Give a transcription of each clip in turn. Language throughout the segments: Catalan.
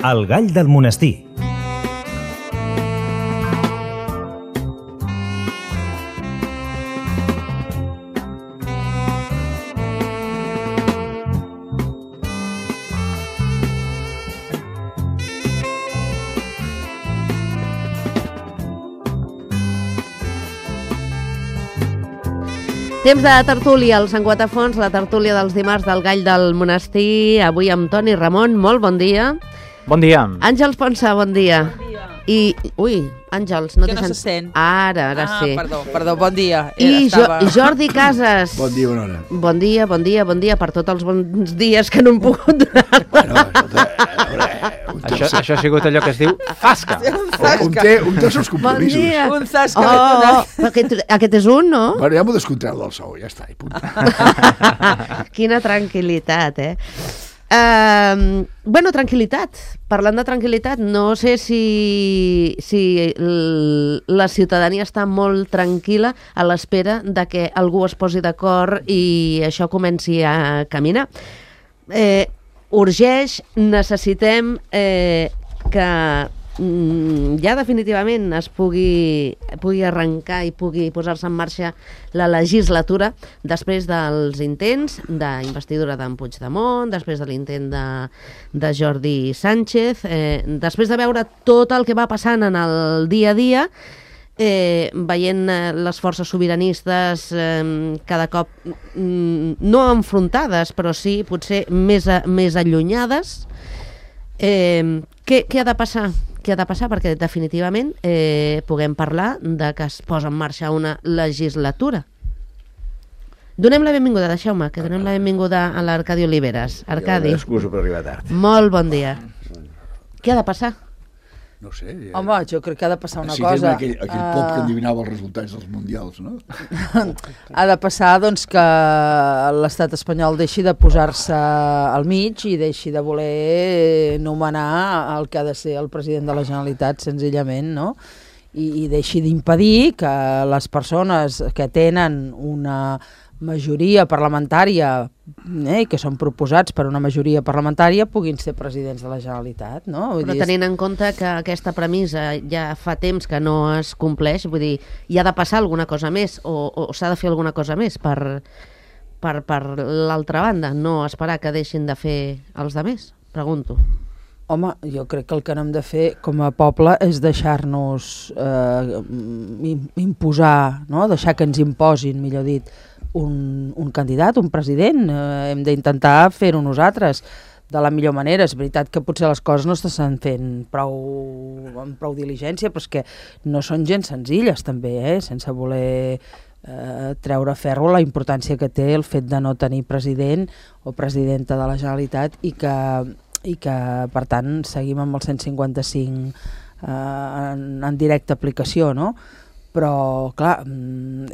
El gall del monestir. Temps de tertúlia als Enguatafons, la tertúlia dels dimarts del Gall del Monestir, avui amb Toni Ramon, molt bon dia. Bon dia. Àngels Ponsa, bon dia. Bon dia. I, Àngels, no que te no se sent. Ara sí. Perdó, bon dia. I Jordi Casas. Bon dia, bona hora. Bon dia per tots els bons dies que no hem pogut donar. Bueno, Això ha sigut allò que es diu fasca. un té els seus compromisos. Bon dia. Un zasca l'he donat. Aquest és un, no? Bueno, ja m'ho descontreu del sou, ja està, i punt. Quina tranquil·litat, Bueno, tranquil·litat. Parlant de tranquil·litat, no sé si la ciutadania està molt tranquil·la a l'espera de que algú es posi d'acord i això comenci a caminar. Urgeix, necessitem que ja definitivament es pugui arrencar i pugui posar-se en marxa la legislatura després dels intents d'investidura d'en Puigdemont, després de l'intent de Jordi Sánchez, després de veure tot el que va passant en el dia a dia, veient les forces sobiranistes cada cop no enfrontades, però sí potser més allunyades. Què ha de passar? Què ha de passar perquè definitivament puguem parlar de que es posa en marxa una legislatura. Donem la benvinguda, deixeu-me, que donem la benvinguda a l'Arcadi Oliveres. Arcadi. Jo m'excuso per arribar tard. Molt bon dia. Què ha de passar? No sé. Home, jo crec que ha de passar una sí, cosa. Aquell pop que endivinava els resultats dels mundials, no? Ha de passar, doncs, que l'estat espanyol deixi de posar-se al mig i deixi de voler nomenar el que ha de ser el president de la Generalitat, senzillament, no? I deixi d'impedir que les persones que tenen una majoria parlamentària i que són proposats per una majoria parlamentària puguin ser presidents de la Generalitat, no? Però tenint en compte que aquesta premissa ja fa temps que no es compleix, vull dir, hi ha de passar alguna cosa més o s'ha de fer alguna cosa més per l'altra banda, no esperar que deixin de fer els altres, pregunto. Home, jo crec que el que no hem de fer com a poble és deixar-nos imposar, no? Deixar que ens imposin, millor dit, un candidat, un president. Hem d'intentar fer-ho nosaltres de la millor manera. És veritat que potser les coses no s'estan fent amb prou diligència, però és que no són gens senzilles també, sense voler treure ferro la importància que té el fet de no tenir president o presidenta de la Generalitat i que per tant seguim amb el 155 en directa aplicació, no? Però, clar,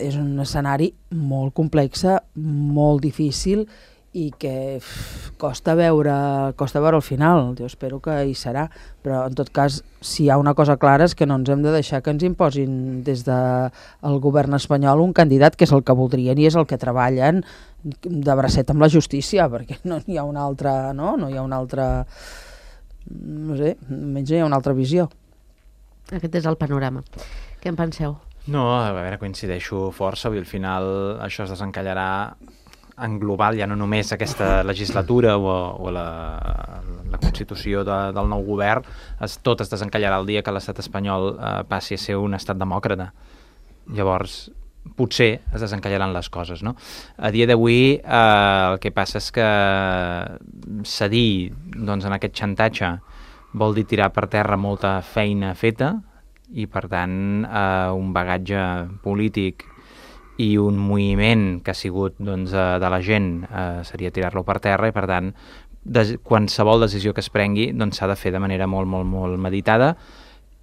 és un escenari molt complex, molt difícil i que costa veure el final. Jo espero que hi serà, però en tot cas, si hi ha una cosa clara és que no ens hem de deixar que ens imposin des del govern espanyol un candidat que és el que voldrien i és el que treballen de bracet amb la justícia, perquè no hi ha una altra, no hi ha una altra, no sé, almenys hi ha una altra visió. Aquest és el panorama. Què en penseu? No, a veure, coincideixo força, i al final això es desencallarà en global, ja no només aquesta legislatura o la constitució del nou govern, tot es desencallarà el dia que l'estat espanyol passi a ser un estat demòcrata. Llavors, potser es desencallaran les coses, no? A dia d'avui el que passa és que cedir doncs, en aquest xantatge vol dir tirar per terra molta feina feta i, per tant, un bagatge polític i un moviment que ha sigut doncs, de la gent seria tirar-lo per terra i, per tant, qualsevol decisió que es prengui doncs, s'ha de fer de manera molt, molt, molt meditada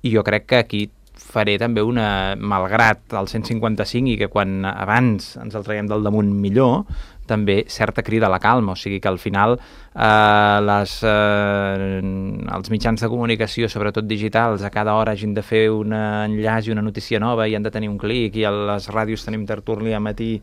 i jo crec que aquí faré també malgrat el 155 i que quan abans ens el traiem del damunt millor, també certa crida a la calma, o sigui que al final els mitjans de comunicació, sobretot digitals, a cada hora hagin de fer un enllaç i una notícia nova i han de tenir un clic, i a les ràdios tenim tertúlia a matí,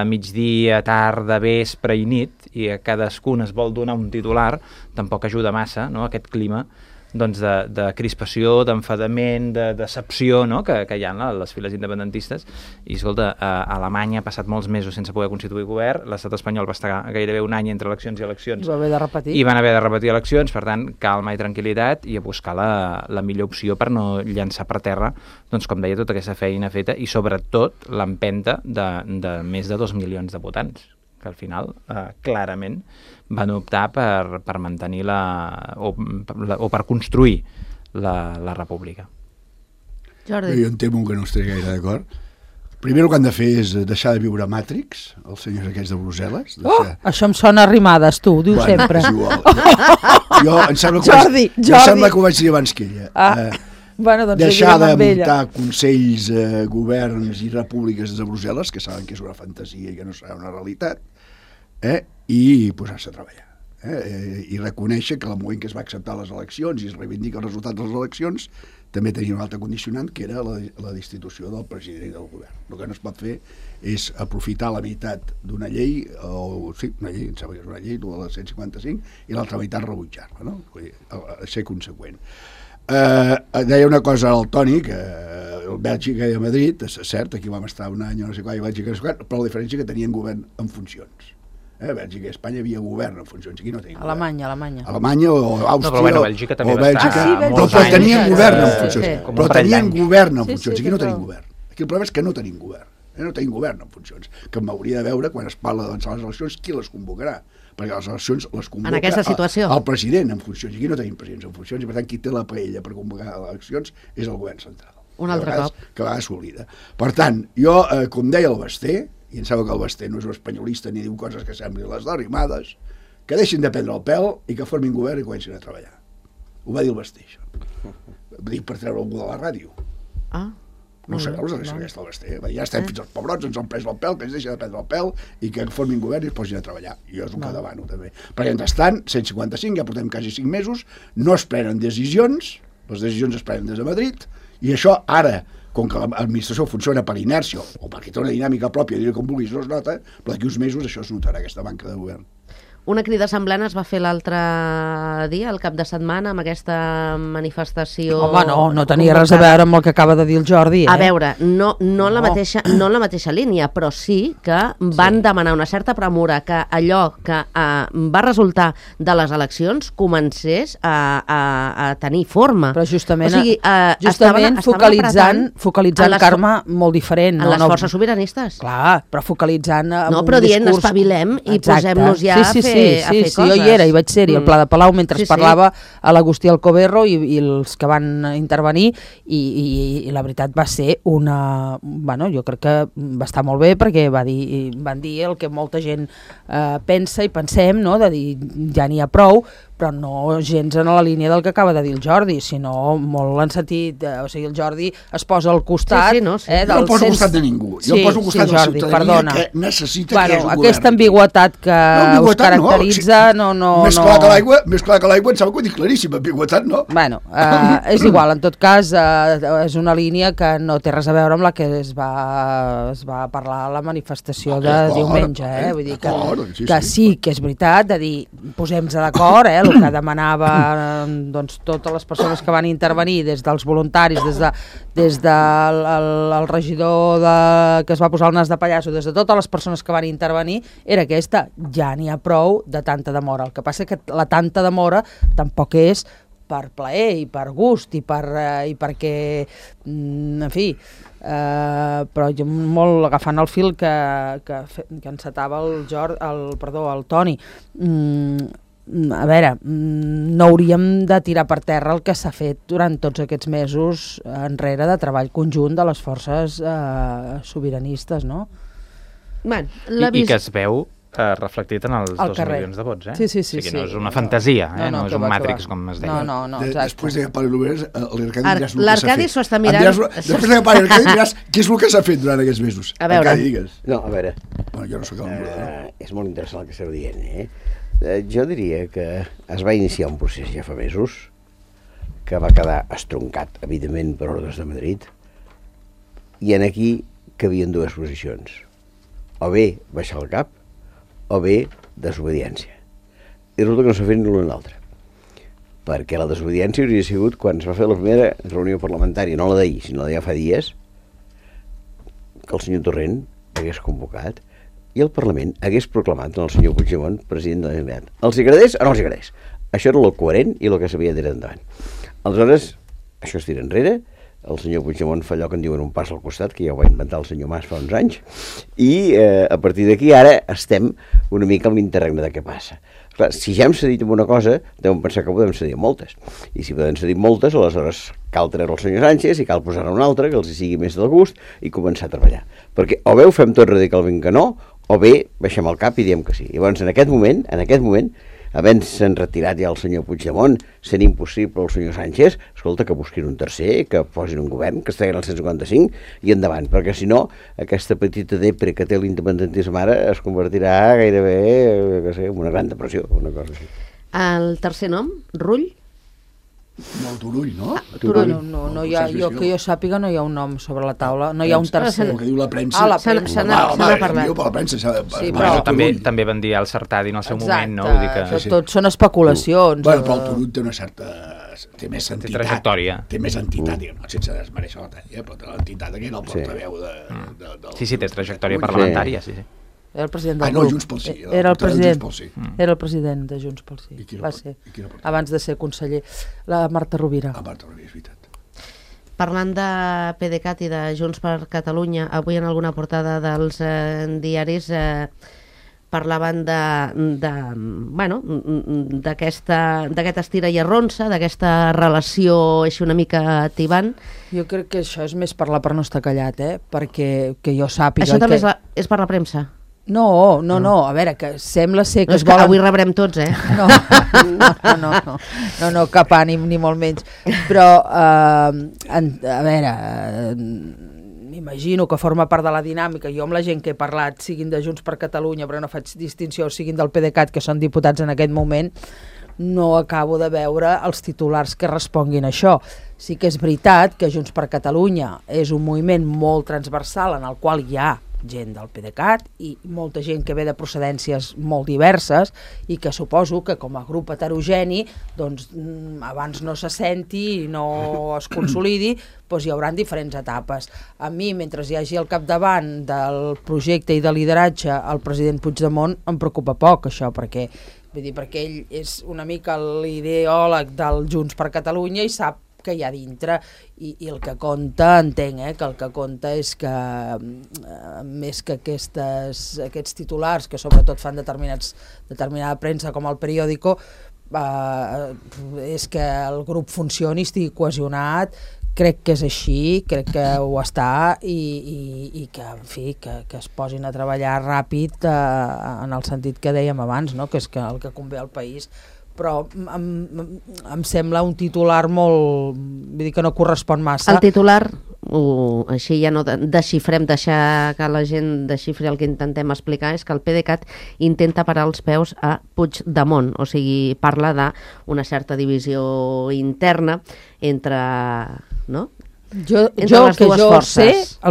migdia, tarda, vespre i nit, i a cadascun es vol donar un titular, tampoc ajuda massa, no?, aquest clima doncs de crispació, d'enfadament, de decepció, no?, que hi ha a les files independentistes. I escolta, Alemanya ha passat molts mesos sense poder constituir govern, l'estat espanyol va estar gairebé un any entre eleccions i eleccions, Va haver de repetir. i van haver de repetir eleccions, per tant, calma i tranquil·litat, i a buscar la millor opció per no llançar per terra, doncs, com deia, tota aquesta feina feta, i sobretot l'empenta de més de 2 milions de votants, que al final, clarament, van optar per mantenir o per construir la república. Jordi. Jo em temo que no estaré gaire d'acord. Primer el que han de fer és deixar de viure a Matrix, els senyors aquests de Brussel·les. Això em sona a rimades, tu, ho dius sempre. És igual. Jo em sembla que Jordi. ho vaig dir abans que ella. Bueno, doncs deixar de amb ella. muntar consells, governs i repúbliques de Brussel·les, que saben que és una fantasia i que no serà una realitat, i posar-se a treballar. I reconèixer que el moment que es va acceptar les eleccions i es reivindica el resultat de les eleccions també tenia un altre condicionant, que era la destitució del president i del govern. El que no es pot fer és aprofitar la meitat d'una llei, una llei, em sembla que és una llei, de la 155, i l'altra meitat rebutjar-la, no? Vull dir, ser conseqüent. Deia una cosa al Toni, que Bèlgica i a Madrid, és cert, aquí vam estar un any o no sé quan, i Bèlgica no sé quan, però la diferència és que tenien govern en funcions. Bèlgica i Espanya havia govern en funcions, aquí no tenim govern. Alemanya o Àustria, però bueno, Bèlgica també o Bèlgica, però tenien govern en funcions, però tenien govern en funcions, aquí no tenim govern. Aquí el problema és que no tenim govern, no tenim govern en funcions, que m'hauria de veure, quan es parla d'avançar les eleccions, qui les convocarà, perquè les eleccions les convoca el president en funcions, i aquí no tenim presidents en funcions, i per tant qui té la paella per convocar les eleccions és el govern central. Un altre cop. Que a vegades s'oblida. Per tant, jo, com deia el Basté, i em sembla que el Basté no és un espanyolista ni diu coses que semblin les derrimades, que deixin de prendre el pèl i que formin govern i comencin a treballar. Ho va dir el Basté, això. Va dir per treure algú de la ràdio. No sé, els deixa aquesta el Basté. Ja estem fins als pebrots, ens han pres el pèl, que ens deixa de prendre el pèl i que formin govern i es posin a treballar. I jo és el que demano, també. Perquè, mentrestant, 155, ja portem quasi 5 mesos, no es prenen decisions, les decisions es prenen des de Madrid, i això ara, com que l'administració funciona per inèrcia o perquè té una dinàmica pròpia, dir com vulguis, no es nota, però d'aquí uns mesos això es notarà, aquesta manca de govern. Una crida semblant es va fer l'altre dia, el cap de setmana, amb aquesta manifestació... Home, no tenia res a veure amb el que acaba de dir el Jordi. A veure, no la mateixa línia, però sí que van demanar una certa premura que allò que va resultar de les eleccions comencés a tenir forma. Però justament, o sigui, focalitzant Carme, molt diferent. En les forces sobiranistes. Clar, però focalitzant en un discurs... però dient, espavilem i posem-nos ja a fer coses. Sí, jo hi era, i vaig ser-hi al Pla de Palau mentre parlava a l'Agustí Alcoberro i els que van intervenir, i la veritat va ser una... Bueno, jo crec que va estar molt bé, perquè van dir el que molta gent pensa i pensem, no?, de dir ja n'hi ha prou, però no gens en la línia del que acaba de dir el Jordi, sinó molt en sentit, o sigui, el Jordi es posa al costat... Jo no poso al costat de ningú, jo poso al costat de la ciutadania que necessita que hi hagi un govern. Aquesta ambigüetat que us caracteritza, no... Més clar que l'aigua, em sembla que ho dic claríssim, ambigüetat, no? Bueno, és igual, en tot cas, és una línia que no té res a veure amb la que es va parlar a la manifestació de diumenge, vull dir que sí que és veritat, de dir, posem-nos d'acord, el que demanava totes les persones que van intervenir, des dels voluntaris, des del regidor que es va posar el nas de pallasso, des de totes les persones que van intervenir, era aquesta: ja n'hi ha prou de tanta demora. El que passa que la tanta demora tampoc és per plaer i per gust i perquè, en fi, però jo molt agafant el fil que encetava el Toni, a veure, no hauríem de tirar per terra el que s'ha fet durant tots aquests mesos enrere de treball conjunt de les forces sobiranistes, no? I que es veu reflectit en els Al 2 carrer. milions de vots, Sí. O sigui, no és una fantasia, no és un Matrix, com es deia. No, exacte. Després de que parli l'Obreres, l'Arcadi diràs el que s'ha fet. L'Arcadi s'ho està mirant. Després de que parli l'Arcadi diràs què és el que s'ha fet durant aquests mesos. A veure. Arcadi, digues. No, a veure, Bueno, jo no sóc el moderador. és molt interessant el que esteu dient, Jo diria que es va iniciar un procés ja fa mesos que va quedar estroncat, evidentment, per ordres de Madrid, i en aquí cabien dues posicions. O bé baixar el cap, o bé desobediència. I resulta que no s'ha fet ni l'una ni l'altra. Perquè la desobediència hauria sigut quan es va fer la primera reunió parlamentària, no la d'ahir, sinó la de ja fa dies, que el senyor Torrent hagués convocat i el Parlament hagués proclamat el senyor Puigdemont president de la Generalitat. Els agradés o no els agradés? Això era el coherent i el que s'havia de tirar endavant. Aleshores, això es tira enrere, el senyor Puigdemont fa allò que en diuen un pas al costat, que ja ho va inventar el senyor Mas fa uns anys, i a partir d'aquí ara estem una mica en l'interregne de què passa. Clar, si ja hem cedit en una cosa, devem pensar que podem cedir en moltes. I si podem cedir en moltes, aleshores cal treure el senyor Sánchez i cal posar-ne un altre que els hi sigui més del gust i començar a treballar. Perquè o bé ho fem tot radicalment que no, o bé baixem el cap i diem que sí. Llavors, en aquest moment, havent-se'n retirat ja el senyor Puigdemont, sent impossible el senyor Sánchez, escolta, que busquin un tercer, que posin un govern, que es treguin el 155 i endavant, perquè si no, aquesta petita depre que té l'independentisme ara es convertirà gairebé, en una gran depressió, una cosa així. El tercer nom, Rull? Molt Turull, no? Turull. No hi ha, que jo sàpiga, no hi ha un nom sobre la taula, no hi ha un tercer. El que diu la premsa. La Se premsa. n'ha parlat. Per la premsa s'ha de... Sí, Bueno, però- també van dir al Sartadi en el seu moment, no? Vull dir que... Això tot són especulacions. Bueno, però el Turull té una certa... té més entitat. trajectòria. Té més entitat, diguem, sense desmereixer la talla, però té l'entitat que era el portaveu del... Sí, té trajectòria parlamentària, sí. Era el president del no, grup. Junts pel Sí. Era el president. Junts pel Sí. Era el president de Junts pel Sí. I qui era Va el- ser. i qui era el president? Abans de ser conseller. La Marta Rovira. A part, és veritat. Parlant de PDeCAT i de Junts per Catalunya, avui en alguna portada dels diaris parlaven d'aquest estira i arronsa, d'aquesta relació així una mica tibant. Jo crec que això és més parlar per no estar callat, perquè que jo sàpiga... Això també que... és per la premsa? No, a veure, que sembla ser que No, es és que volen... avui rebrem tots, No, cap ànim, ni molt menys. Però, a veure, m'imagino que forma part de la dinàmica. Jo amb la gent que he parlat, siguin de Junts per Catalunya, però no faig distinció, siguin del PDeCAT, que són diputats en aquest moment, no acabo de veure els titulars que responguin a això. Sí que és veritat que Junts per Catalunya és un moviment molt transversal en el qual hi ha gent del PDeCAT i molta gent que ve de procedències molt diverses i que suposo que com a grup heterogeni doncs, abans no se senti i no es consolidi, doncs hi haurà diferents etapes. A mi, mentre hi hagi al capdavant del projecte i de lideratge el president Puigdemont, em preocupa poc això, perquè ell és una mica l'ideòleg del Junts per Catalunya i sap que hi ha dintre i el que compta, entenc, que el que compta és que més que aquests titulars que sobretot fan determinada premsa com el Periódico, és que el grup funcioni, estigui cohesionat. Crec que és així, crec que ho està i que, en fi, que es posin a treballar ràpid en el sentit que dèiem abans, no? Que és el que convé al país. Però em sembla un titular molt... vull dir que no correspon massa. El titular, així ja no deixar que la gent desxifri el que intentem explicar, és que el PDeCAT intenta parar els peus a Puigdemont, o sigui, parla d'una certa divisió interna entre... no? El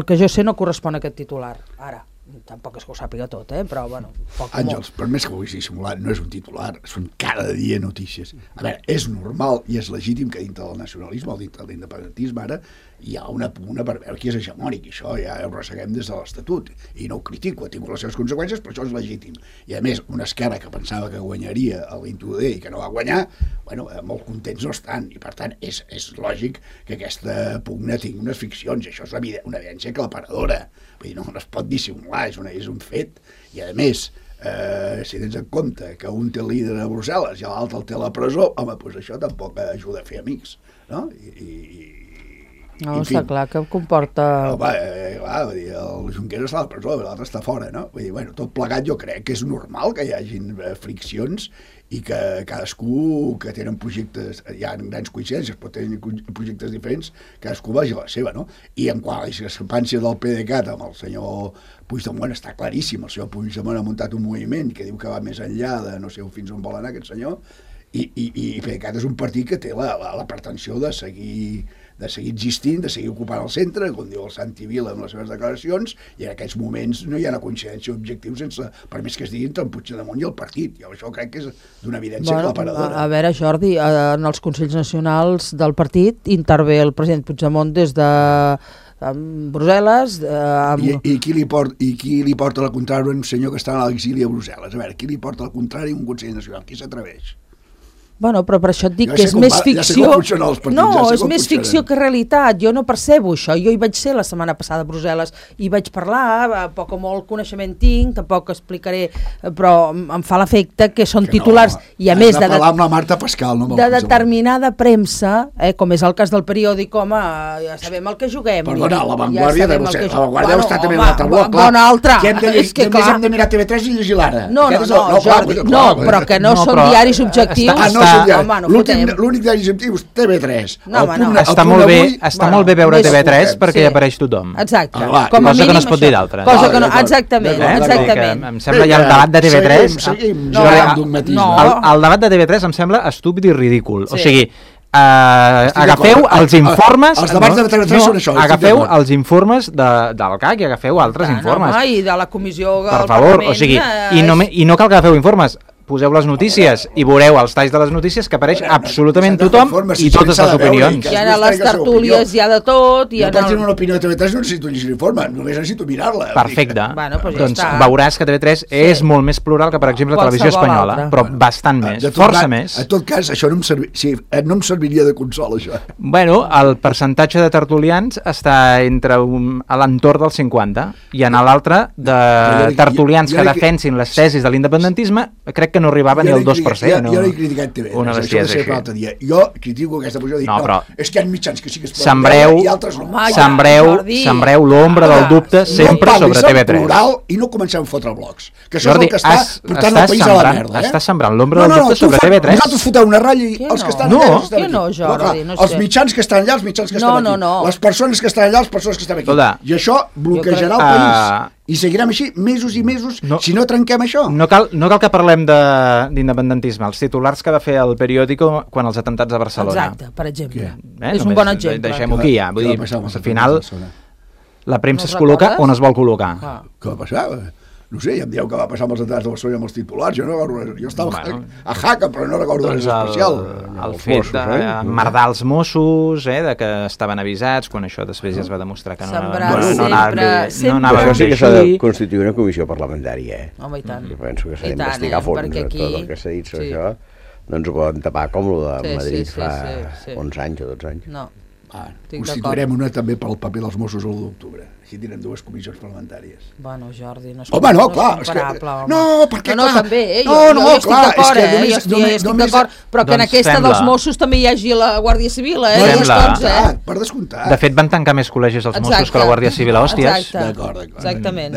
que jo sé no correspon a aquest titular, ara. Tampoc és que ho sàpiga tot, però bueno... Àngels, per més que ho haguessis simulat, no és un titular, són cada dia notícies. A veure, és normal i és legítim que dintre del nacionalisme o dintre de l'independentisme ara hi ha una pugna per veure qui és hegemònic, i això ja ho resseguem des de l'Estatut, i no ho critico, ha tingut les seves conseqüències, però això és legítim. I a més, una esquerra que pensava que guanyaria a l'Intuder i que no va guanyar, bueno, molt contents no estan, i per tant és lògic que aquesta pugna tingui unes ficcions, i això és una evidència aclaparadora, vull dir, no es pot dissimular, és un fet, i a més, si tens en compte que un té el líder a Brussel·les i l'altre el té a la presó, home, doncs això tampoc ajuda a fer amics, no? I No, està clar que comporta... Home, clar, vull dir, el Junqueras està a la presó, l'altre està fora, no? Vull dir, bueno, tot plegat jo crec que és normal que hi hagin friccions i que cadascú que tenen projectes, hi ha grans coincidències, però tenen projectes diferents, cadascú vagi a la seva, no? I en quant a la discrepància del PDeCAT amb el senyor Puigdemont està claríssim, el senyor Puigdemont ha muntat un moviment que diu que va més enllà de no sé fins on vol anar aquest senyor, i PDeCAT és un partit que té la pretensió de seguir existint, de seguir ocupant el centre, com diu el Santi Vila amb les seves declaracions, i en aquests moments no hi ha una coincidència objectiva per més que es digui entre el Puigdemont i el partit. Jo això crec que és d'una evidència aclaparadora. A veure, Jordi, en els Consells Nacionals del partit intervé el president Puigdemont des de Brussel·les... I qui li porta la contrària a un senyor que està a l'exili a Brussel·les? A veure, qui li porta la contrària a un Consell Nacional? Qui s'atreveix? Bueno, però per això et dic que és més ficció... No, és més ficció que realitat. Jo no percebo això. Jo hi vaig ser la setmana passada a Brussel·les i vaig parlar, poc o molt coneixement tinc, tampoc explicaré, però em fa l'efecte que són titulars i a més de parlar amb la Marta Pascal, no? De determinada premsa, com és el cas del periòdic, home, ja sabem el que juguem. Perdona, la Vanguardia deu estar també a l'altre bloc. Bona altra. Que hem de mirar TV3 i llegir l'Ara. No, Jordi, no, però que no són diaris objectius. L'únic diari objectiu és TV3. Està molt bé veure TV3 perquè hi apareix tothom. Exacte. Cosa que no es pot dir d'altra. Exactament. Em sembla ja el debat de TV3... El debat de TV3 em sembla estúpid i ridícul. O sigui, agafeu els informes... Els debats de TV3 són això. Agafeu els informes del CAC i agafeu altres informes. I de la comissió del Parlament. Per favor, o sigui, i no cal que agafeu informes. Poseu les notícies i veureu els talls de les notícies que apareix absolutament tothom i totes les opinions. Hi ha les tertúlies, hi ha de tot... Jo per tenir una opinió de TV3 no necessito llegir l'informe, només necessito mirar-la. Perfecte. Doncs veuràs que TV3 és molt més plural que, per exemple, Televisió Espanyola, però bastant més, força més. En tot cas, això no em serviria de consol, això. Bueno, el percentatge de tertulians està a l'entorn del 50 i en l'altre de tertulians que defensin les tesis de l'independentisme, crec que no arribava ni al 2%. Jo no he criticat TV, això de ser per l'altre dia. Jo critico aquesta posició, dic, no, és que hi ha mitjans que sí que es poden veure i altres no. Sembreu l'ombra del dubte sempre sobre TV3. Plural i no comencem a fotre blocs, que això és el que està portant el país a la merda. Estàs sembrant l'ombra del dubte sobre TV3? Nosaltres fotem una ratlla i els que estan allà estem aquí. No, Jordi, no sé. Els mitjans que estan allà, els mitjans que estan aquí. Les persones que estan allà, les persones que estan aquí. I això bloquejarà el país. I seguirem així mesos i mesos si no trenquem això. No cal que parlem d'independentisme. Els titulars que va fer el periòdico quan els atentats a Barcelona. Exacte, per exemple. És un bon exemple. Deixem-ho aquí ja. Vull dir, al final la premsa es col·loca on es vol col·locar. Què va passar? No sé, ja em dieu que va passar amb els atentats de Barcelona amb els titulars. Jo estava a Jaca, però no recordo res especial. El fet d'emmerdar els Mossos, que estaven avisats, quan això després ja es va demostrar que no anava bé. Això sí que s'ha de constituir una comissió parlamentària. Home, i tant. Jo penso que s'ha d'investigar a fons tot el que s'ha dit sobre això. No ens ho poden tapar com el de Madrid fa 11 anys o 12 anys. No. Constituirem una també pel paper dels Mossos l'1 d'octubre. Així tindrem dues comissions parlamentàries. Bueno, Jordi, no és comparable. No, perquè clar... No, també, jo estic d'acord, jo estic d'acord, però que en aquesta dels Mossos també hi hagi la Guàrdia Civil, Per descomptat. De fet, van tancar més col·legis els Mossos que la Guàrdia Civil a hòsties. D'acord. Exactament.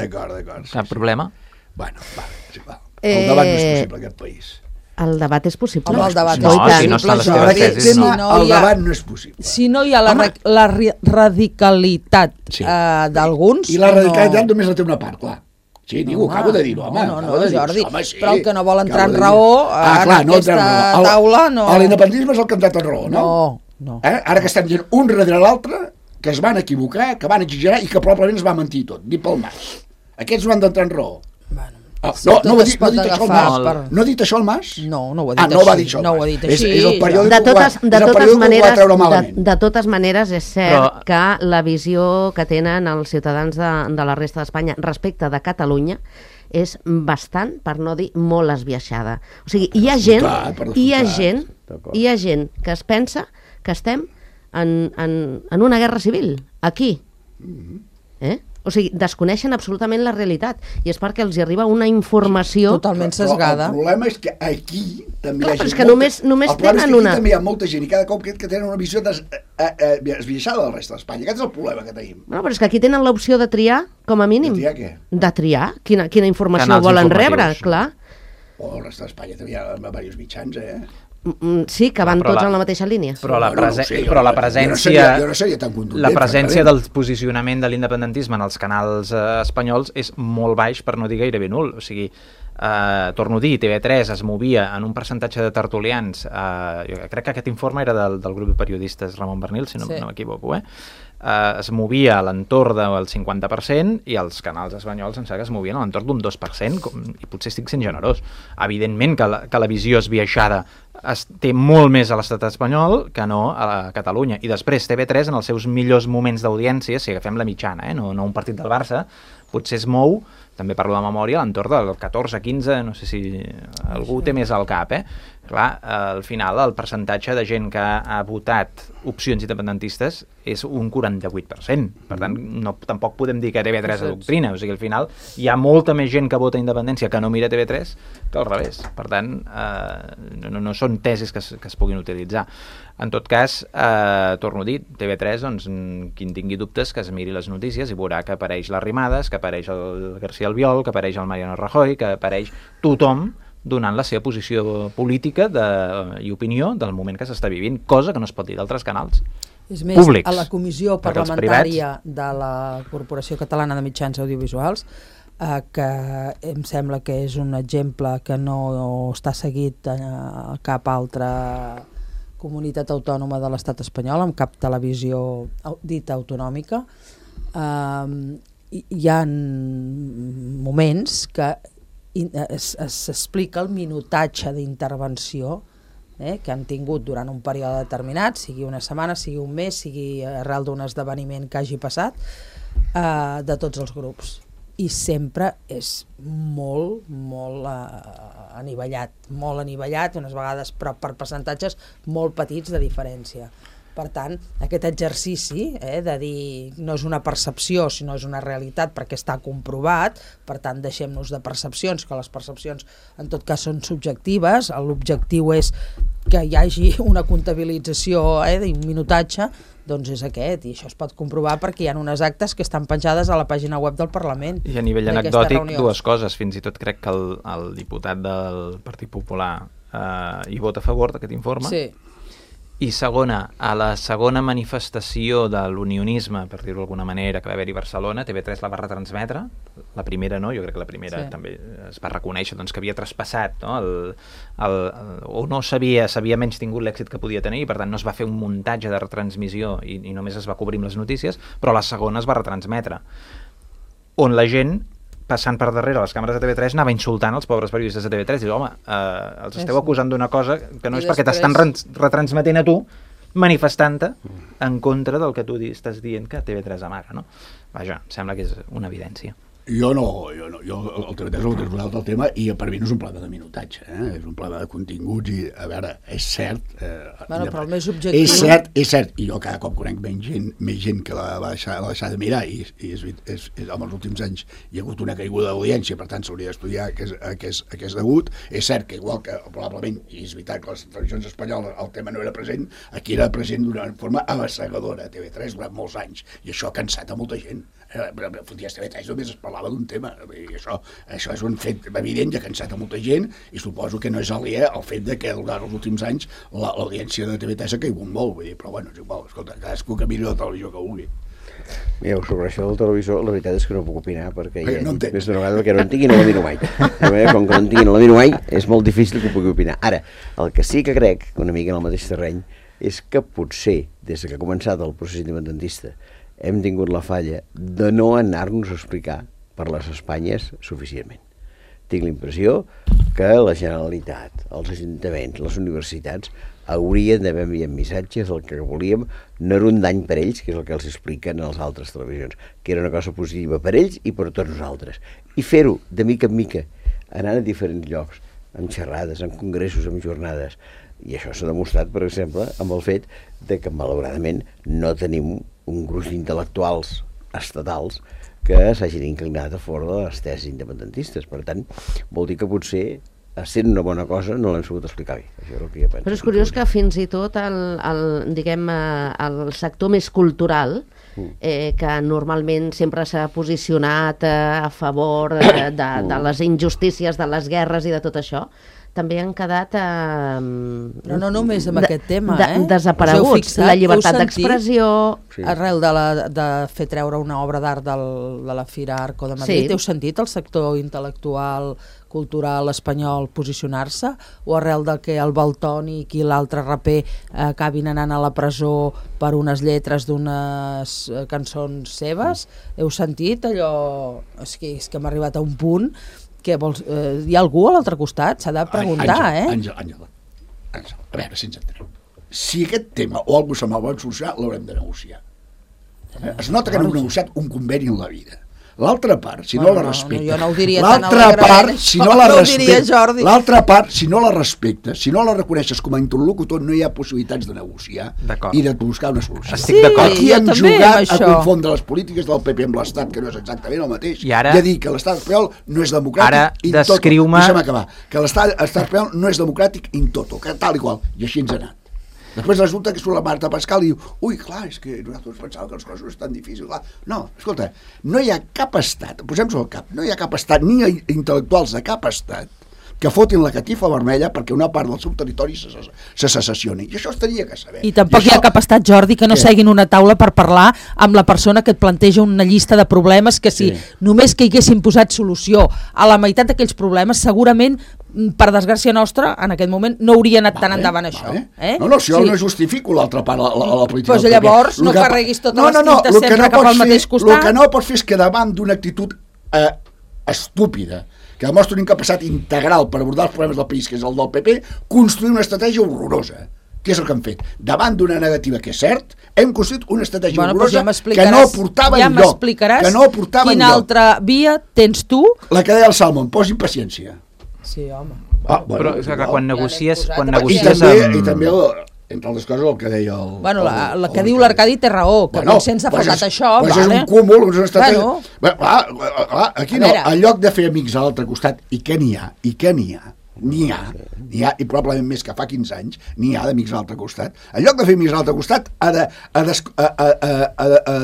Cap problema. Bueno, el debat no és possible en aquest país. El debat és possible. El debat no estan les teves tesis. El debat no és possible. Si no hi ha la radicalitat d'alguns... I la radicalitat només la té una part, clar. Sí, digo, acabo de dir-ho, home. No, Jordi, però el que no vol entrar en raó en aquesta taula no... L'independentisme és el que ha entrat en raó, no? No. Ara que estem dient un darrere l'altre, que es van equivocar, que van exagerar i que probablement es va mentir tot, dit pel Mas. Aquests no han d'entrar en raó. No ha dit això el Mas? No ha dit això el Mas? No ho ha dit així. No ho va dir això el Mas. No ho ha dit així. És el periòdic que ho va treure malament. De totes maneres, és cert que la visió que tenen els ciutadans de la resta d'Espanya respecte de Catalunya és bastant, per no dir molt esbiaixada. O sigui, hi ha gent que es pensa que estem en una guerra civil, aquí. O sigui, desconeixen absolutament la realitat i és perquè els hi arriba una informació... Totalment sesgada. El problema és que aquí també Clar, hi ha però és gent que només el problema és tenen que aquí una... també hi ha molta gent i cada cop que tenen una visió esbiaixada del resta d'Espanya. Aquest és el problema que tenim. No, però és que aquí tenen l'opció de triar, com a mínim. De triar què? De triar quina informació Canals volen informatius. rebre, clar. O el resta d'Espanya també hi ha diversos mitjans, Sí, que van Però tots la- en la mateixa línia. Però la, Bueno, no ho sé, però la jo no presència... seria tan contundent, La presència francament. del posicionament de l'independentisme en els canals espanyols és molt baix, per no dir gairebé nul. O sigui, torno a dir, TV3 es movia en un percentatge de tertulians, jo crec que aquest informe era del grup de periodistes Ramon Bernil, si no, Sí. no m'equivoco, es movia a l'entorn del 50% i els canals espanyols em sembla que es movien a l'entorn d'un 2%, i potser estic sent generós. Evidentment que la visió esbiaixada té molt més a l'estat espanyol que no a Catalunya. I després TV3, en els seus millors moments d'audiència, si agafem la mitjana, no un partit del Barça, potser es mou, també parlo de memòria, a l'entorn del 14-15, no sé si algú té més al cap, Clar, al final el percentatge de gent que ha votat opcions independentistes és un 48%. Per tant, tampoc podem dir que TV3 adoctrina. O sigui, al final hi ha molta més gent que vota independència que no mira TV3 que al revés. Per tant, no són tesis que es puguin utilitzar. En tot cas, torno a dir, TV3, doncs, qui en tingui dubtes que es miri les notícies i veurà que apareix l'Arrimades, que apareix el García Albiol, que apareix el Mariano Rajoy, que apareix tothom donant la seva posició política i opinió del moment que s'està vivint, cosa que no es pot dir d'altres canals És més, públics. a la comissió Perquè els parlamentària de la Corporació Catalana de Mitjans Audiovisuals, que em sembla que és un exemple que no està seguit a cap altra comunitat autònoma de l'estat espanyol, amb cap televisió dita autonòmica, hi ha moments que s'explica el minutatge d'intervenció que han tingut durant un període determinat, sigui una setmana, sigui un mes, sigui arrel d'un esdeveniment que hagi passat, de tots els grups. I sempre és molt anivellat, unes vegades, però per percentatges molt petits de diferència. Per tant, aquest exercici de dir no és una percepció, sinó és una realitat perquè està comprovat, per tant deixem-nos de percepcions, que les percepcions en tot cas són subjectives, l'objectiu és que hi hagi una comptabilització d'un minutatge, doncs és aquest, i això es pot comprovar perquè hi ha unes actes que estan penjades a la pàgina web del Parlament. I a nivell anecdòtic, dues coses. Fins i tot crec que el diputat del Partit Popular hi vota a favor d'aquest informe. Sí. I segona, a la segona manifestació de l'unionisme, per dir-ho d'alguna manera, que va haver-hi a Barcelona, TV3 la va retransmetre, la primera no, jo crec que la primera també es va reconèixer doncs, que havia traspassat, no? O no s'havia menys tingut l'èxit que podia tenir, i per tant no es va fer un muntatge de retransmissió i només es va cobrir amb les notícies, però la segona es va retransmetre, on la gent passant per darrere les càmeres de TV3 anava insultant els pobres periodistes de TV3 i diu, home, els esteu acusant d'una cosa que no és perquè t'estan retransmetent a tu, manifestant-te en contra del que tu estàs dient que TV3 amaga, no? Vaja, sembla que és una evidència. Jo el TV3 és un altre tema i per mi no és un problema de minutatge, és un problema de continguts i, a veure, és cert... però el més objectiu... És cert, i jo cada cop conec més gent que la va deixar de mirar i en els últims anys hi ha hagut una caiguda d'audiència, per tant s'hauria d'estudiar a què és degut. És cert que igual que probablement, i és veritat que a les televisions espanyoles el tema no era present, aquí era present d'una forma avassegadora a TV3 durant molts anys, i això ha cansat a molta gent. Foties TV3 només es parlava d'un tema i això és un fet evident, ja cansat a molta gent, i suposo que no és aliè al fet de que durant els últims anys l'audiència de TV3 ha caigut molt, vull dir, però bueno, és igual, escolta, cadascú que miri la televisió que vulgui. Mireu, sobre això del televisor, la veritat és que no puc opinar perquè ja no més d'una vegada perquè no en tinc i no la miro mai. Com que no en tinc i no la miro mai, és molt difícil que pugui opinar. Ara, el que sí que crec, una mica en el mateix terreny, és que potser, des que ha començat el procés independentista, hem tingut la falla de no anar-nos a explicar per les Espanyes suficientment. Tinc la impressió que la Generalitat, els ajuntaments, les universitats haurien d'haver enviat missatges del que volíem, no era un dany per ells, que és el que els expliquen a les altres televisions, que era una cosa positiva per ells i per tots nosaltres. I fer-ho de mica en mica, anant a diferents llocs, amb xerrades, amb congressos, amb jornades. I això s'ha demostrat, per exemple, amb el fet de que, malauradament, no tenim un gruix d'intel·lectuals estatals que s'hagin inclinat a favor de les tesis independentistes. Per tant, vol dir que potser, sent una bona cosa, no l'hem sabut explicar bé. Això és el que jo penso. Però és curiós que fins i tot el sector més cultural, que normalment sempre s'ha posicionat a favor de les injustícies, de les guerres i de tot això, també han quedat però no només amb aquest tema, desapareguts. La llibertat d'expressió... Sí. Arrel de fer treure una obra d'art de la Fira Arco de Madrid, heu sentit el sector intel·lectual, cultural espanyol posicionar-se? O arrel de que el Valtònic i l'altre raper acabin anant a la presó per unes lletres d'unes cançons seves? Heu sentit allò? És que hem arribat a un punt que hi ha algú a l'altre costat? S'ha de preguntar, Àngel, a veure si ens entenem. Si aquest tema o algú se me'l vol solucionar, l'haurem de negociar. Es nota que no hem negociat un conveni en la vida. L'altra part, si no la respecta... Jo no ho diria tan l'altra part, si no la respecta... L'altra part, si no la respecta, si no la reconeixes com a interlocutor, no hi ha possibilitats de negociar i de buscar una solució. Estic d'acord. Aquí hem jugat a confondre les polítiques del PP amb l'Estat, que no és exactament el mateix, i a dir que l'Estat espanyol no és democràtic in toto. Deixa'm acabar. Que l'Estat espanyol no és democràtic in toto, que tal i qual. I així ens ha anat. Després resulta que surt la Marta Pascal i diu ui, clar, és que nosaltres pensàvem que les coses no és tan difícil. Clar. No, escolta, no hi ha cap estat, posem-s'ho al cap, no hi ha cap estat, ni intel·lectuals de cap estat que fotin la catifa vermella perquè una part del seu territori se secessioni. I això es tenia que saber. I tampoc hi ha cap estat, Jordi, que no seguin una taula per parlar amb la persona que et planteja una llista de problemes que si només que hi haguessin posat solució a la meitat d'aquells problemes, segurament, per desgràcia nostra, en aquest moment no hauria anat tan endavant això. No, si jo no justifico l'altra part, la política. Doncs llavors no carreguis totes les tintes sempre cap al mateix costat. El que no pots fer és que davant d'una actitud estúpida, que demostra una incapacitat integral per abordar els problemes del país, que és el del PP, construir una estratègia horrorosa. Què és el que han fet? Davant d'una negativa que és cert, hem construït una estratègia horrorosa que no portava enlloc. Ja m'explicaràs quina altra via tens tu? La que deia el Salmon, posin paciència. Sí, home. Però és que quan negocies... I també entre altres coses el que deia el... Bueno, la que diu l'Arcadi té raó, que sense ha faltat això... És un cúmul, és una estratègia... Aquí no, en lloc de fer amics a l'altre costat, i què n'hi ha? N'hi ha, i probablement més que fa 15 anys, n'hi ha d'amics a l'altre costat. En lloc de fer amics a l'altre costat, ha de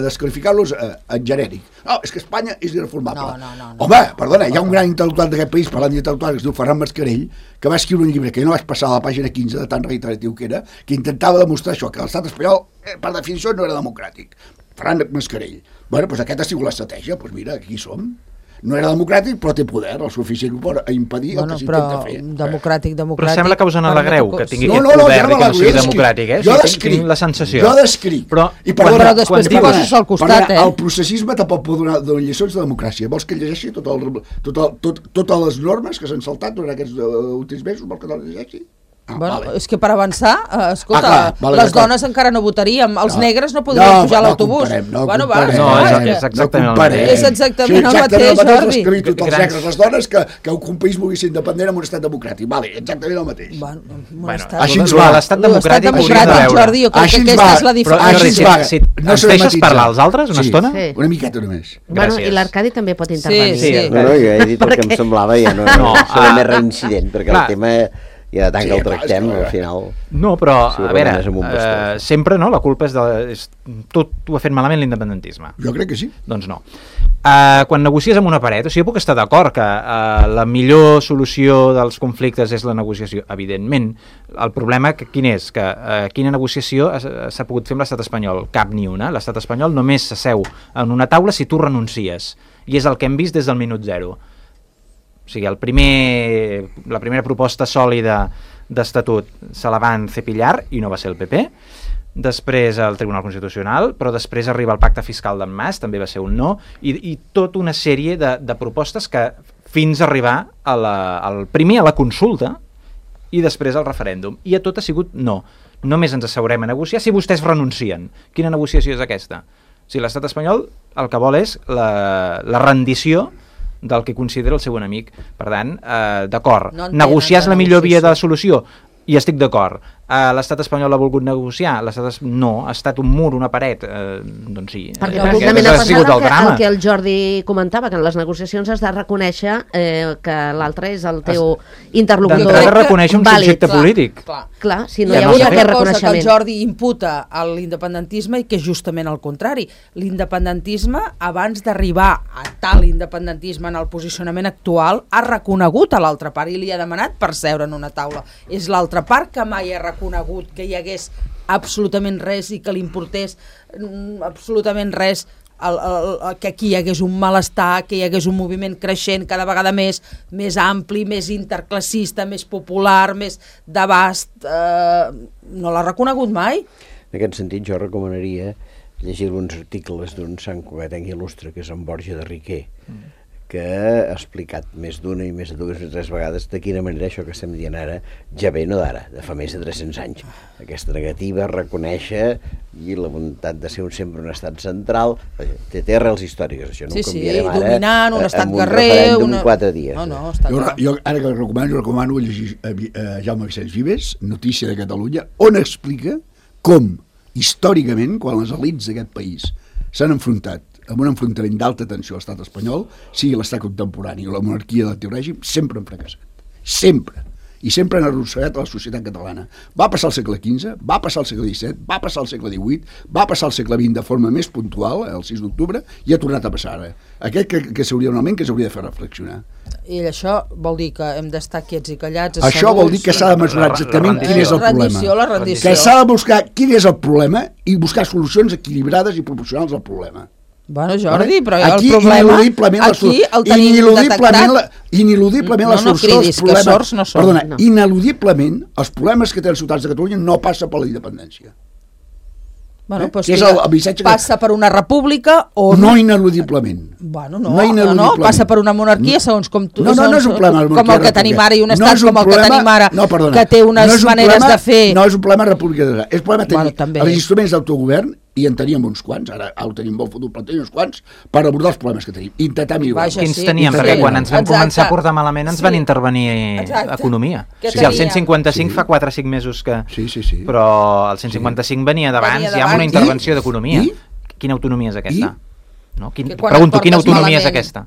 desqualificar-los en genèric. No, és que Espanya és irreformable. No. Home, perdona, hi ha un gran intel·lectual d'aquest país, parlant d'intel·lectual, que es diu Ferran Mascarell, que va escriure un llibre que jo no vaig passar a la pàgina 15, de tan reiteratiu que era, que intentava demostrar això, que l'estat espanyol, per definició, no era democràtic. Ferran Mascarell. Bueno, doncs aquesta ha sigut l'estratègia, doncs mira, aquí som. No era democràtic, però té poder, el suficient per impedir el que s'intenta fer. Democràtic... Però sembla que us en alegreu, que tingui aquest poder i que no sigui democràtic, Jo descric. Tinc la sensensació. Jo descric. Però després t'hi poses al costat, El processisme tampoc pot donar lliçons de democràcia. Vols que llegeixi totes les normes que s'han saltat durant aquests últims mesos? Vols que no les llegeixi? És que per avançar, escolta, les dones encara no votaríem, els negres no podrien pujar a l'autobús. És exactament el mateix. És exactament el mateix, Jordi. Tots els negres, les dones, que un país vulgui ser independent en un estat democràtic. Vale, exactament el mateix. Així ens va. L'estat democràtic, Jordi, jo crec que aquesta és la diferència. Si ens deixes parlar als altres una estona? Una miqueta només. I l'Arcadi també pot intervenir. Sí. Jo he dit el que em semblava, ja no seré més reincident, perquè el tema... i de tant que el tractem, al final... No, però, a veure, sempre la culpa és tot ho ha fet malament l'independentisme. Jo crec que sí. Doncs no. Quan negocies amb una paret, o sigui, jo puc estar d'acord que la millor solució dels conflictes és la negociació, evidentment. El problema quin és? Que quina negociació s'ha pogut fer amb l'estat espanyol? Cap ni una. L'estat espanyol només s'asseu en una taula si tu renuncies. I és el que hem vist des del minut zero. O sigui, la primera proposta sòlida d'estatut se la van cepillar i no va ser el PP, després el Tribunal Constitucional, però després arriba el pacte fiscal d'en Mas, també va ser un no, i tota una sèrie de propostes que fins a arribar primer a la consulta i després al referèndum. I a tot ha sigut no. Només ens asseurem a negociar si vostès renuncien. Quina negociació és aquesta? Si l'estat espanyol el que vol és la rendició del que considera el seu enemic. Per tant, d'acord, negociar és la millor via de solució, i estic d'acord. L'estat espanyol ha volgut negociar, no, ha estat un mur, una paret, doncs sí. Perquè Aquest precisament ha ha sigut passat el drama. el que el Jordi comentava, que en les negociacions has de reconèixer que l'altre és el teu interlocutor D'entrada reconèixer un vàlid. subjecte polític. Clar, si no Ja hi ha no hagut s'ha aquest una cosa que el reconeixement. Jordi imputa a l'independentisme i que és justament el contrari. L'independentisme, abans d'arribar a tal independentisme en el posicionament actual, ha reconegut a l'altra part i li ha demanat per seure en una taula. És l'altra part que mai ha reconegut que hi hagués absolutament res i que li importés absolutament res que aquí hi hagués un malestar, que hi hagués un moviment creixent cada vegada més ampli, més interclassista, més popular, més d'abast. No l'ha reconegut mai. En aquest sentit, jo recomanaria llegir alguns articles d'un sant cugatenc il·lustre, que és en Borja de Riquer, que ha explicat més d'una i més de dues o tres vegades de quina manera això que estem dient ara ja ve no d'ara, de fa més de 300 anys. Aquesta negativa a reconèixer i la voluntat de ser sempre un estat central té arrels històriques, això no ho canviarem ara dominant, un estat amb un guerrer, referèndum en 4 dies. No, està clar. Jo ara que recomano llegir Jaume Vicenç Vives, Notícia de Catalunya, on explica com històricament, quan les elits d'aquest país s'han enfrontat amb un enfrontament d'alta tensió a l'estat espanyol, sigui l'estat contemporani o la monarquia del teu règim, sempre han fracassat. Sempre. I sempre han arrossegat a la societat catalana. Va passar al segle XV, va passar al segle XVII, va passar al segle XVIII, va passar al segle XX de forma més puntual, el 6 d'octubre, i ha tornat a passar ara. Aquest que s'hauria normalment que s'hauria de fer reflexionar. I això vol dir que hem d'estar quiets i callats. Això vol dir que s'ha de mesurar exactament quin és el problema. La rendició. Que s'ha de buscar quin és el problema i buscar solucions equilibrades i proporcionals al problema. Bueno, Jordi, però aquí, el problema aquí el tenim detectat. Ineludiblement la solució dels problemes... sords no són. Perdona, ineludiblement els problemes que tenen els ciutadans de Catalunya no passa per la independència. Bueno, doncs és el missatge que... passa per una república o no ineludiblement. Bueno, no, passa per una monarquia segons com tu, no és un problema com el que tenim ara i un estat com el que tenim ara, que té unes maneres de fer. No és un problema república, és un problema tenir també els instruments d'autogovern, i en teníem uns quants, ara ho tenim molt fotut, però tenim uns quants per abordar els problemes que tenim, intentar millorar. Quins teníem? Perquè quan ens vam començar a portar malament ens van intervenir economia. O sigui, el 155 fa 4 o 5 mesos que... Sí. Però el 155 venia d'abans, ja amb una intervenció d'economia. Quina autonomia és aquesta? No? Pregunto, quina autonomia és aquesta?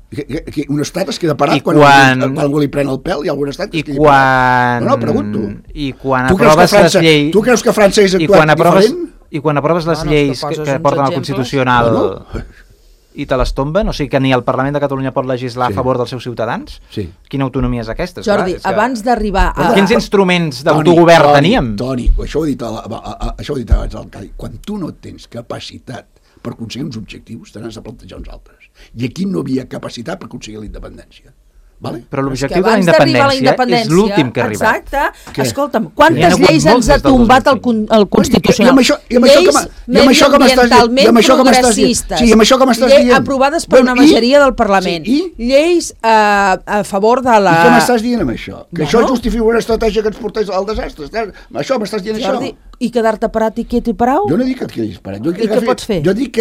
Un estat es queda parat quan algú li pren el pèl i algun estat es quedi parat. No, pregunto. I quan aproves les lleis... Tu creus que França és actuat diferent? I quan aproves les lleis que porten al Constitucional i te les tomben, o sigui que ni el Parlament de Catalunya pot legislar a favor dels seus ciutadans, quina autonomia és aquesta? Jordi, abans d'arribar a... Quins instruments d'autogovern teníem? Toni, això ho he dit abans al Cadi, quan tu no tens capacitat per aconseguir uns objectius, te n'has de plantejar uns altres. I aquí no havia capacitat per aconseguir la independència. Vale? Però l'objectiu de la independència és l'últim que ha arribat. Exacte. Escolta'm, quantes lleis ens ha tombat el Constitucional? Lleis mediambientalment progressistes, lleis aprovades per una majoria del Parlament, lleis a favor de la... I què m'estàs dient amb això? Que això justifica una estratègia que ens portés al desastre? Això m'estàs dient això? I quedar-te parat i quiet i parau? Jo no dic que et quedis parat. I què pots fer? Jo dic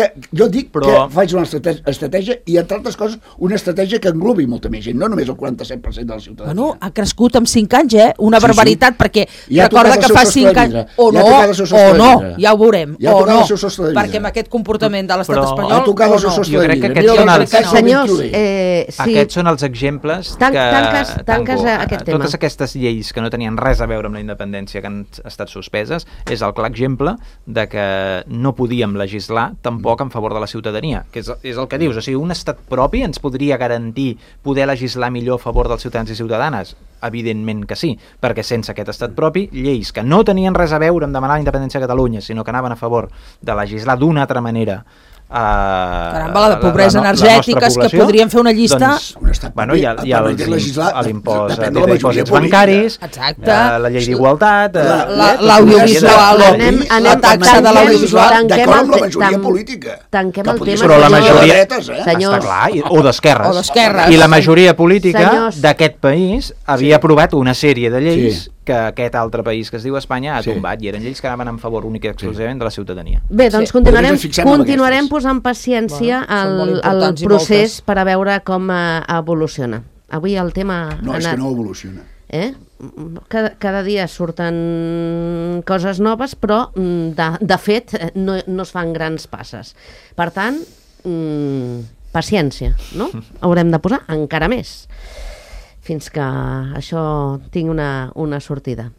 que faig una estratègia i, entre altres coses, una estratègia que englobi molta més gent, no només el 47% de la ciutadania. Bueno, ha crescut en 5 anys, Una barbaritat, perquè recorda que fa 5 anys... O no, ja ho veurem. O no, perquè amb aquest comportament de l'estat espanyol... Ha tocat el seu sostre de vidre. Senyors, aquests són els exemples que totes aquestes lleis que no tenien res a veure amb la independència, que han estat suspeses, és el clar exemple de que no podíem legislar tampoc en favor de la ciutadania, que és el que dius, o sigui, un estat propi ens podria garantir poder legislar millor a favor dels ciutadans i ciutadanes? Evidentment que sí, perquè sense aquest estat propi, lleis que no tenien res a veure amb demanar la independència de Catalunya, sinó que anaven a favor de legislar d'una altra manera caramba, la de pobresa energètica, que podríem fer una llista. Bueno, hi ha l'impost de dipòsits bancaris, la llei d'igualtat, l'audiovisual, la taxa de l'audiovisual. D'acord amb la majoria política. Tanquem el tema. Però la majoria, està clar, o d'esquerres. I la majoria política d'aquest país havia aprovat una sèrie de lleis que aquest altre país que es diu Espanya ha tombat, i eren lleis que anaven en favor únic i exclusivament de la ciutadania. Bé, doncs continuarem posant paciència al procés per a veure com evoluciona. Avui el tema no, és que no evoluciona. Cada dia surten coses noves, però de fet no es fan grans passes. Per tant, paciència, no? Haurem de posar encara més fins que això tingui una sortida.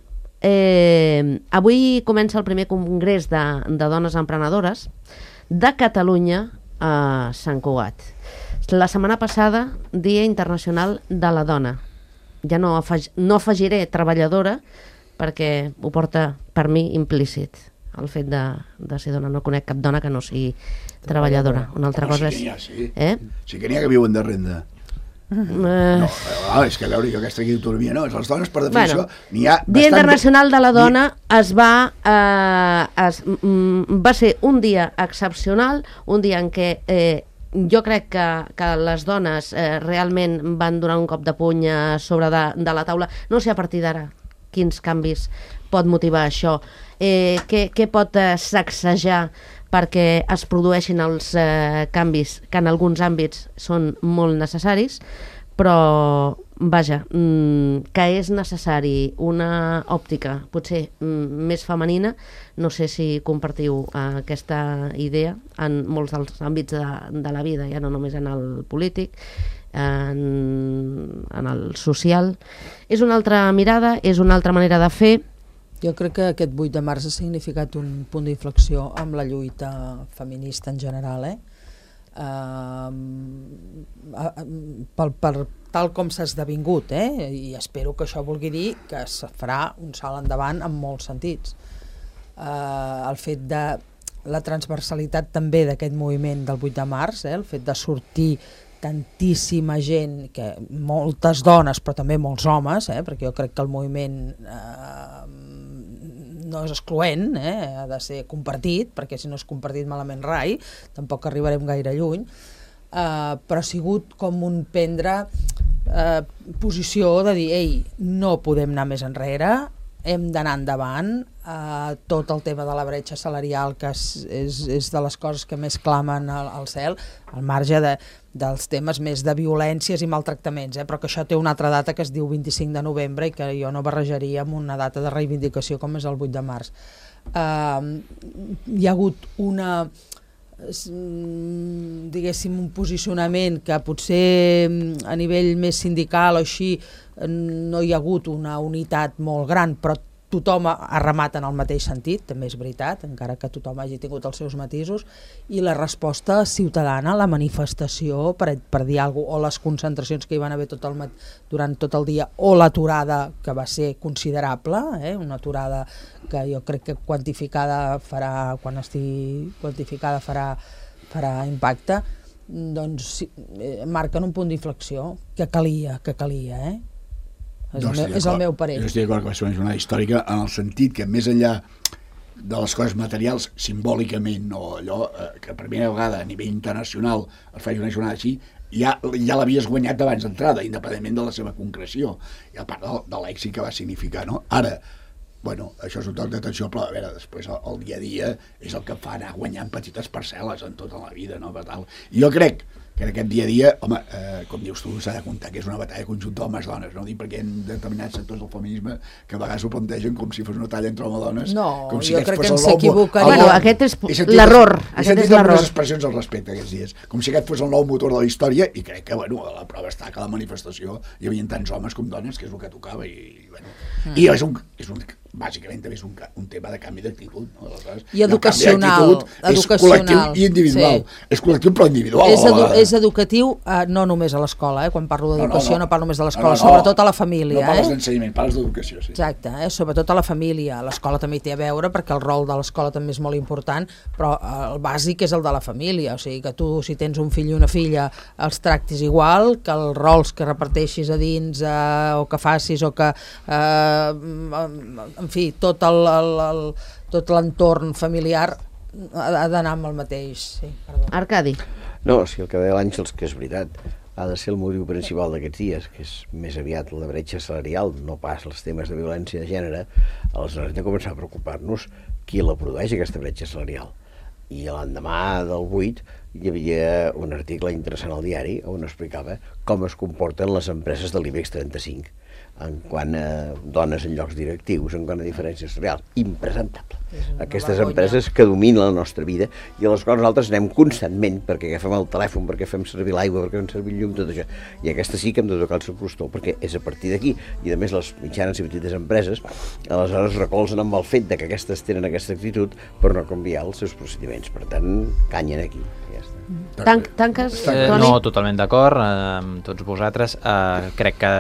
Avui comença el primer congrés de dones emprenedores de Catalunya a Sant Cugat. La setmana passada, Dia Internacional de la Dona. Ja no afegiré treballadora perquè ho porta per mi implícit el fet de ser dona. No conec cap dona que no sigui treballadora. Una altra cosa és... Sí que n'hi ha que viuen de renda. No, és que a veure, jo aquesta autonomia no, les dones per definició n'hi ha bastant... Dia Internacional de la Dona va ser un dia excepcional, un dia en què jo crec que les dones realment van donar un cop de puny sobre de la taula. No sé a partir d'ara quins canvis pot motivar això, què pot sacsejar perquè es produeixin els canvis que en alguns àmbits són molt necessaris, però vaja, que és necessari una òptica potser més femenina. No sé si compartiu aquesta idea en molts dels àmbits de la vida, ja no només en el polític, en el social. És una altra mirada, és una altra manera de fer. Jo crec que aquest 8 de març ha significat un punt d'inflexió amb la lluita feminista en general, per tal com s'ha esdevingut, i espero que això vulgui dir que es farà un salt endavant en molts sentits. El fet de la transversalitat també d'aquest moviment del 8 de març, el fet de sortir tantíssima gent, moltes dones però també molts homes, perquè jo crec que el moviment no és excloent, ha de ser compartit, perquè si no és compartit malament rai, tampoc arribarem gaire lluny, però ha sigut com un prendre posició de dir, ei, no podem anar més enrere, hem d'anar endavant, tot el tema de la bretxa salarial, que és de les coses que més clamen al cel, al marge dels temes més de violències i maltractaments, però que això té una altra data que es diu 25 de novembre i que jo no barrejaria amb una data de reivindicació com és el 8 de març. Hi ha hagut diguéssim, un posicionament que potser a nivell més sindical o així no hi ha hagut una unitat molt gran, però tothom ha remat en el mateix sentit, també és veritat, encara que tothom hagi tingut els seus matisos, i la resposta ciutadana, la manifestació per dir alguna cosa, o les concentracions que hi van haver durant tot el dia, o l'aturada, que va ser considerable, una aturada que jo crec que quantificada farà, quan estigui quantificada farà impacte, doncs marquen un punt d'inflexió que calia, és el meu parer. Jo estic d'acord que va ser una jornada històrica en el sentit que més enllà de les coses materials, simbòlicament, o allò que per primera vegada a nivell internacional es faci una jornada així, ja l'havies guanyat d'abans d'entrada, independentment de la seva concreció, i a part de l'èxit que va significar, no? Ara, això és un toc d'atenció, però a veure, després el dia a dia és el que fa anar guanyant petites parcel·les en tota la vida, no? Per tal. I jo crec que en aquest dia a dia, home, com dius tu, s'ha de comptar que és una batalla conjunta homes-dones, no? Perquè hi ha determinats sectors del feminisme que a vegades ho plantegen com si fos una batalla entre homes-dones. No, jo crec que ens s'equivocaria. Bueno, aquest és l'error. He sentit algunes expressions al respecte aquests dies, com si aquest fos el nou motor de la història, i crec que, la prova està que a la manifestació hi havia tants homes com dones, que és el que tocava, i bàsicament també és un tema de canvi d'actitud, no? I educacional. És col·lectiu i individual. És col·lectiu però individual. És educatiu, no només a l'escola, quan parlo d'educació no parlo només de l'escola, sobretot a la família. No parles d'ensenyament, parles d'educació, sí. Exacte, sobretot a la família. L'escola també hi té a veure, perquè el rol de l'escola també és molt important, però el bàsic és el de la família, o sigui que tu, si tens un fill i una filla, els tractis igual, que els rols que reparteixis a dins o que facis o que... en fi, tot l'entorn familiar ha d'anar amb el mateix. Sí, Arcadi. No, si el que deia l'Àngels, que és veritat, ha de ser el motiu principal d'aquests dies, que és més aviat la bretxa salarial, no pas els temes de violència de gènere, aleshores hem de començar a preocupar-nos qui la produeix, aquesta bretxa salarial. I l'endemà del 8 hi havia un article interessant al diari on explicava com es comporten les empreses de l'IBEX 35 en quant a dones en llocs directius, en quant a diferències reals. Impresentable. Aquestes empreses que dominen la nostra vida i a les quals nosaltres anem constantment perquè agafem el telèfon, perquè fem servir l'aigua, perquè fem servir el llum, tot això. I aquesta sí que hem de tocar el seu costó, perquè és a partir d'aquí. I a més les mitjanes i petites empreses aleshores recolzen amb el fet de que aquestes tenen aquesta actitud per no canviar els seus procediments. Per tant, canyen aquí. Ja està. Tanques, Toni? No, totalment d'acord amb tots vosaltres. Crec que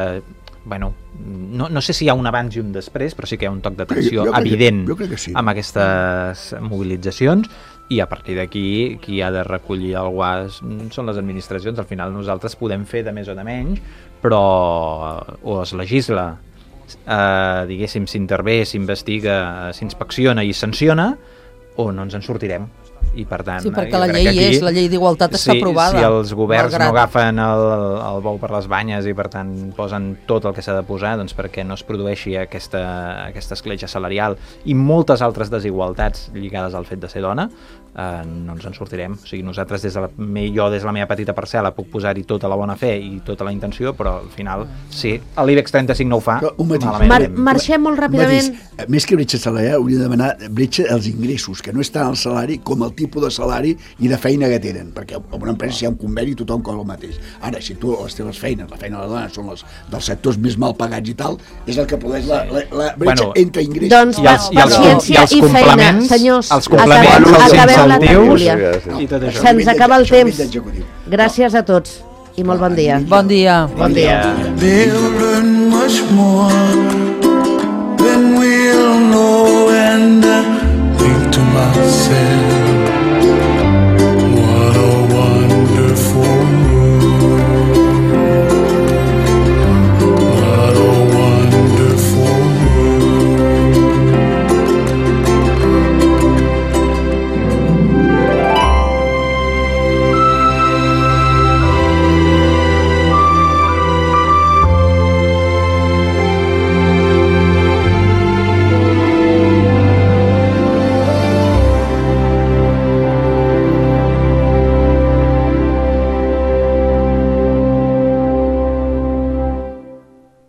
no sé si hi ha un abans i un després, però sí que hi ha un toc d'atenció evident sí. amb aquestes mobilitzacions, i a partir d'aquí qui ha de recollir el guàs són les administracions. Al final nosaltres podem fer de més o de menys, però o es legisla, diguéssim, s'intervé, s'investiga, s'inspecciona i sanciona, o no ens en sortirem. I per tant, sí, perquè la llei d'igualtat està aprovada. Si els governs no agafen el bou per les banyes i per tant posen tot el que s'ha de posar, doncs perquè no es produeixi aquesta escletxa salarial i moltes altres desigualtats lligades al fet de ser dona, no ens en sortirem. O sigui, nosaltres jo des de la meva petita parcel·la puc posar-hi tota la bona fe i tota la intenció, però al final, si l'IBEX 35 no ho fa, malament. Marxem molt ràpidament. Més que bretxa salarial, hauria de demanar bretxa als ingressos, que no és tant el salari com el tipus de salari i de feina que tenen, perquè en una empresa si hi ha un conveni tothom cobra el mateix. Ara, si tu les teves feines, la feina de la dona són les dels sectors més mal pagats i tal, és el que produeix la bretxa entre ingressos. Doncs paciència i feina, senyors. Els complements, els incentius i tot això. Se'ns acaba el temps. Gràcies a tots i molt bon dia. Bon dia. Bon dia.